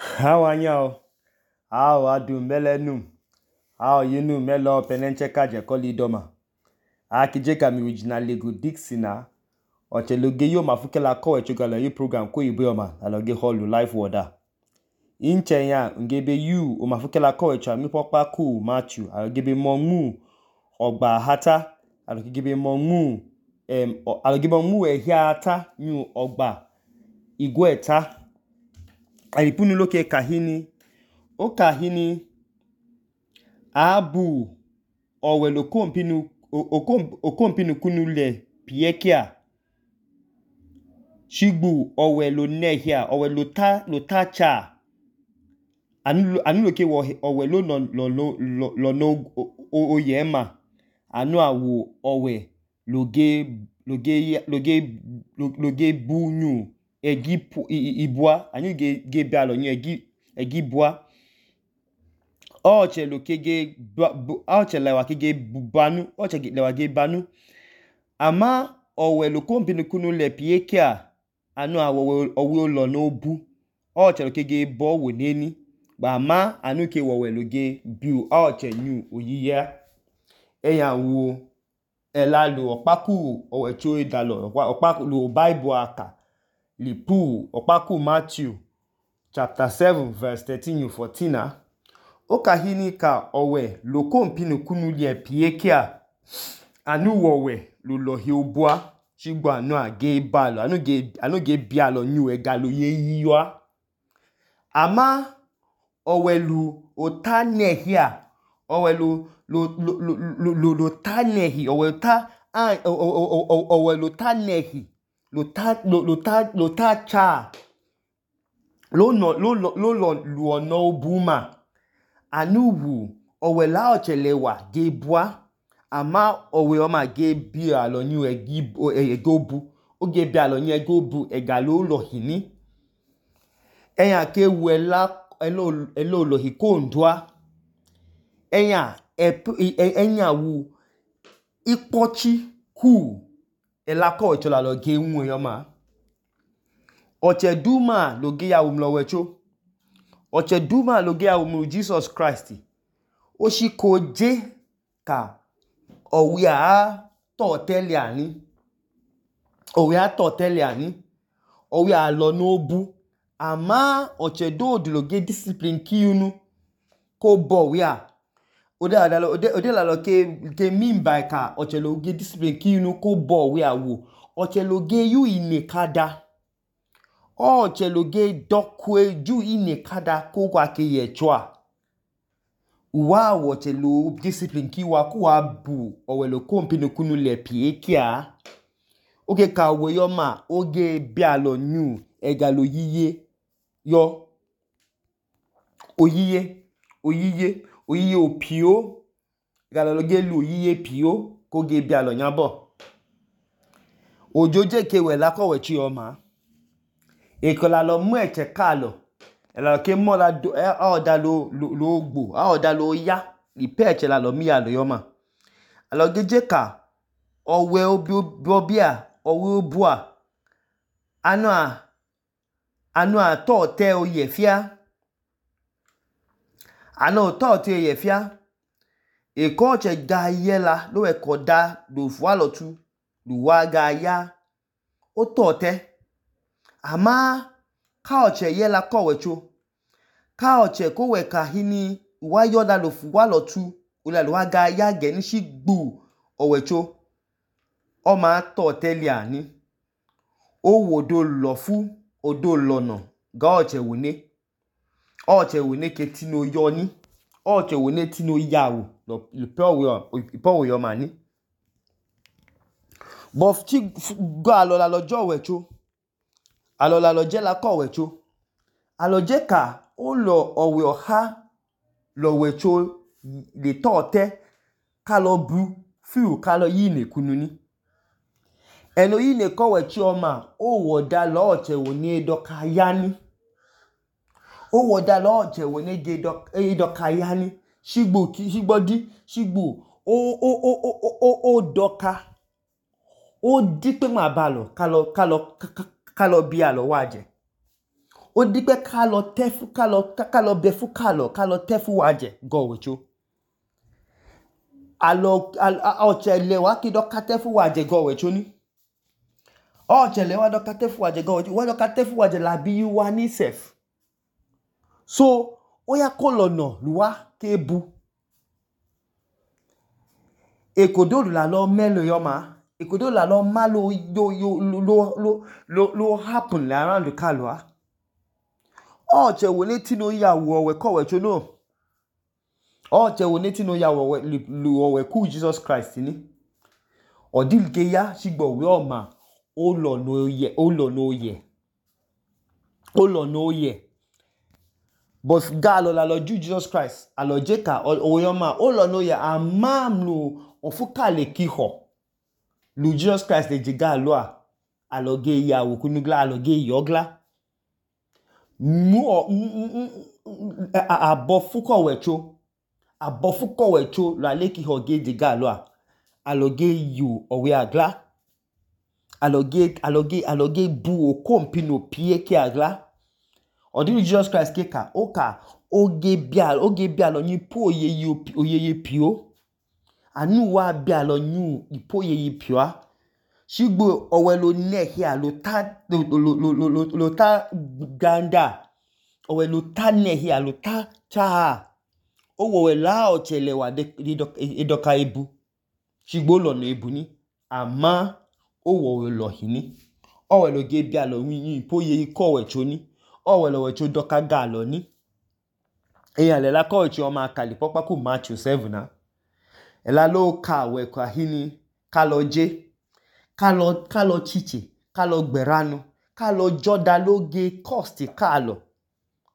How anyao? How adu melenum? How yinu melo penencheka jekoli doma? Akijeka mi original Lego Dixina. Ocheloge yo mafukela kowe chugala yu program ko ibuyoma aloge holu life water. Inchenya ngebe yu o mafukela kowe cha mi pokpa ku Matthew alogebe monmu ogba hata alogebe monmu alogebe monmu ehia nyu ogba igweta. Alipunu loke kahini. O kahini abu owelo okompinu kunu le piekia. Shigbu owelo nehia owelo ta cha. Anu loke owelo no oyema. Anu awu owe loge bu nyu egi ibua. Anu ge bialo nyu egi bua. Oche lewa kege banu. Oche lewa ge banu. Ama owelo kompinu kunu le piekia. Anu awu olo no bu. Oche loke ge bo weneni. Ama anu ke owelo ge biu. Oche nyu oyiya. Eya wu elalu okpaku owecho idalo. Okpaku lu Bible aka. Lipu okpaku Matthew chapter 7 verse 13-14. Okahini ka owe lokompinu kunu le piekia. Anu wowe lulohi obua. Shigbo anu age balo. Anu ge bialo nyu egalo ye yiwa. Ama owelu otanehia. Owelu tanehi. Owelu tanehi. Lota cha. Luono obuma. Anu wu owela ochelewa ge bua. Ama owe oma ge bialo nyu egobu. O ge bialo nyu egobu egalo ulohini. Eya ke wu elo lohi kondua. Enya wu ikpochi ku elako wechola loge unwe yoma. Oche duma loge ya umlo wecho. Oche duma loge ya umlo Jesus Christ. Oshiko je ka owe a toteli ani. Owe a lo nobu. Ama oche do loge discipline ki yunu. Ko bo we a. Ode la lo ke mimba ka oche loge discipline ki yunu ko bo we a wu. Oche loge yu inekada. Oche loge dokwe ju inekada ko kwa ke yechwa. Uwa oche lo discipline ki wa bu owelo kompinu kunu le piekia. Oge ka we yoma oge bialo nyu egalo yiye yo. Oyiye opio. Egalo loge lu oyiye pio ko ge bialo nyabo. Ojoje ke we lako wechi yoma. Ekola lo mu eche kalo. Ela ke mo la do aoda lo ogbo. Aoda lo ya. Ipe eche la lo mi ya lo yoma. Alo geje ka owe obia. Owe obua. Anu a tote oyefia. Anu tote oyefia. Eko oche ga yela. Lo ekoda. Lo fwa lo tu. Lo wa ga ya. O tote. Ama ka oche yela ko wecho. Ka oche ko we kahini. Wa yoda lo fwa lo tu. Ula lo wa ga ya geni shigbu owecho. O ma tote li ani. O wodo lofu. Odo lono. Ga oche wune. Oche wune ke tino yoni. Oche wune tino yawu. Ipo we yoma ni. Bof chi go alola lojo wecho. Alola loje la ko wecho. Aloje ka o lo owe oha lo wecho le tote ka lo bu fiu ka lo yine kununi. Elo yine ko wechi oma o woda lo oche wune doka yani. O woda lo oche wune doka yani. Shigbo o doka. O dipe ma balo ka lo bi alo waje. Odipe kalo tefu kalo befu kalo tefu waje go wecho. Ochele wa kido katefu waje go wecho ni. Ochele wa do katefu waje go wecho. Wa do katefu waje la bi wa ni sef. So oya kolono luwa kebu. Ekodo la lo melo yoma. Ekodo la lo malo lo happen around the kalwa. Oche woneti no ya wowe ko wecho no. Oche woneti no ya wowe ku Jesus Christ ni. Odilge ya shigbo we oma. Olo no ye. But galo la lo ju Jesus Christ. Alo jeka oyoma olo no ye amamlu ofukale kiho. Lu Jesus Christ le jiga loa. Alo ge ya wukunugla alo ge yogla. Abofuko wecho la leki hoge jiga loa. Alo ge yu owe agla. Alo ge bu okompino pie ki agla. Odilu Jesus Christ keka oge bialo nyi po oyeye pio. Anu wa bialo nyu ipo oyeye pio. Shigbo owelo nehia lo ta ganda. Owelo ta nehia lo ta cha. Owe la ochele wa edoka ebu. Shigbo lo no ebu ni. Ama owe lo hini. Owelo ge bialo nyu ipo oyeye ko wecho ni. Owelo wecho doka galo ni. Eya lela ko wecho oma akali pokpa ku Matthew 7 na. Ela lo ka we kwa hini. Kalo je. Kalo chiche. Kalo gberano. Kalo joda loge cost kalo.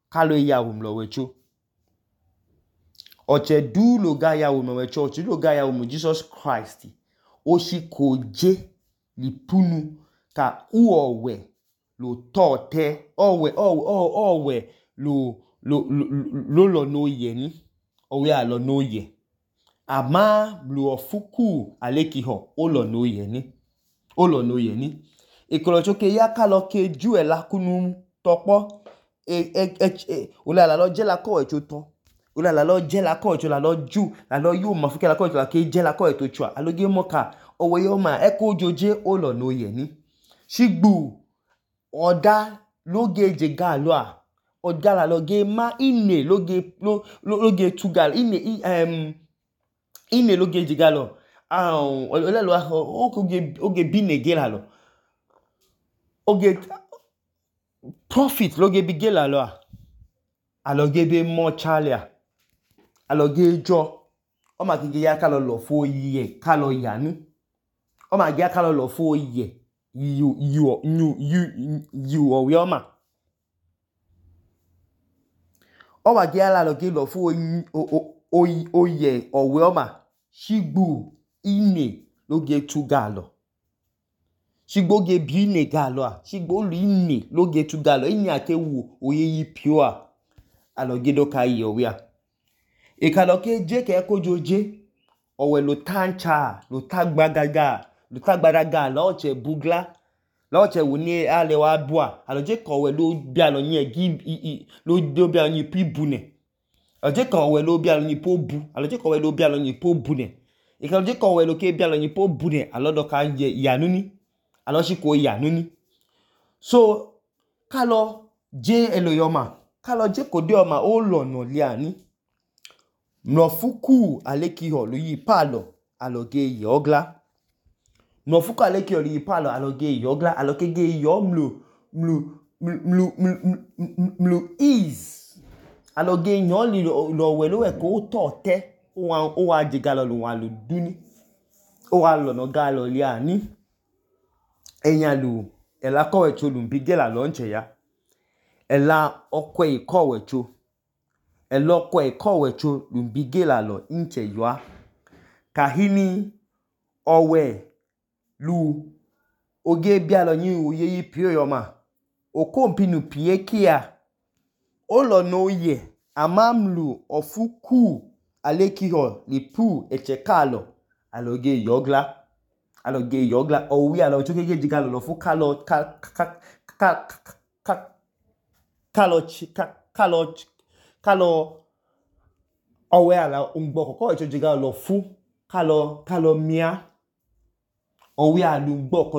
Kalo ya umlo wecho. Oche du lo ga ya umo wecho. Oche du lo ga ya umo Jesus Christ. Oshi koje li punu ka uowe lo tote. Owe lo no ye ni. Owe alo no ye. Ama lu ofuku alekiho olo no ye ni. Ekolo choke ya kalo ke ju ela kunu topo. Ola la lo je la ko wecho to. Ola la lo je la ko wecho la lo ju. La lo yu mafuke la ko wecho la ke je la ko wecho chua. Aloge moka owe yoma eko joje olo no ye ni. Shigbu oda loge je galoa. Oda la loge ma ine loge tugal. Ine loge je galo. Ole lo oge bine gelalo. Oge profit loge bi gelalo. Aloge be mo chalia. Aloge jo. Oma kige ya kalo lo fo ye kalo yanu. Oma kige ya kalo lo fo ye. You oyoma. Oma kige ya la loge lo fo oye oyoma. Shigbu ine loge tu galo. Shigbo ge bi ine galo. Shigbo lu ine loge tu galo. Ine ake wu oyeyi pioa. Aloge doka iye owea. Ekaloke je ke eko joje. Owe lo tancha. Lo tagbadaga. Lo oche bugla. Lo oche wune ale wa bua. Aloje kowe lo bialo nye lo bialo nye pi bune. Aloje kowe lo bialo nye po bu. Aloje kowe lo bialo nye po bune. Ekaloje kowe lo ke bialo nye po bune. Alo doka yanuni. Alo shiko yanuni. So, kalo je elo yoma. Kalo je kode yoma olo no liani. Mnofuku alekiho lo yi palo. Aloge yogla. Mnofuku alekiho lo yi palo. Aloge yogla. Aloge ge yo mlu ease. Aloge nyon li lo welo weko tote. Owa jigalo lo walo duni. Owa lo no galo liani. Enyalu. Ela kowecho lumbigela lonche ya. Ela okwe kowecho. Ela okwe kowecho lumbigela lo inche ywa. Kahini owe lu oge bialo nyi oyeyi pio yoma. Okompinu pie kia. Olo no ye. Amamlu ofuku alekiho lipu echekalo. Aloge yogla. Owi alo choke ge jigalo lo fu kalo kalo ọwẹ ala ungbọkọ kọwọicho jega lọfu kalo mia ọwẹ alugbọkọ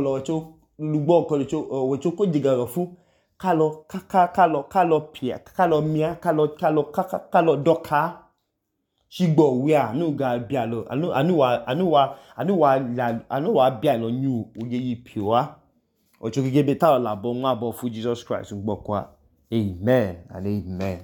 ọwọicho ko jega lọfu kalo mia kalo dọka ṣigbọ ọwẹ anu ga bialọ anu wa bialọ nyu oyeyi pioa ọicho gege be talọ labọ nmabọ fu Jesus Christ ungbọkọ Amen and amen.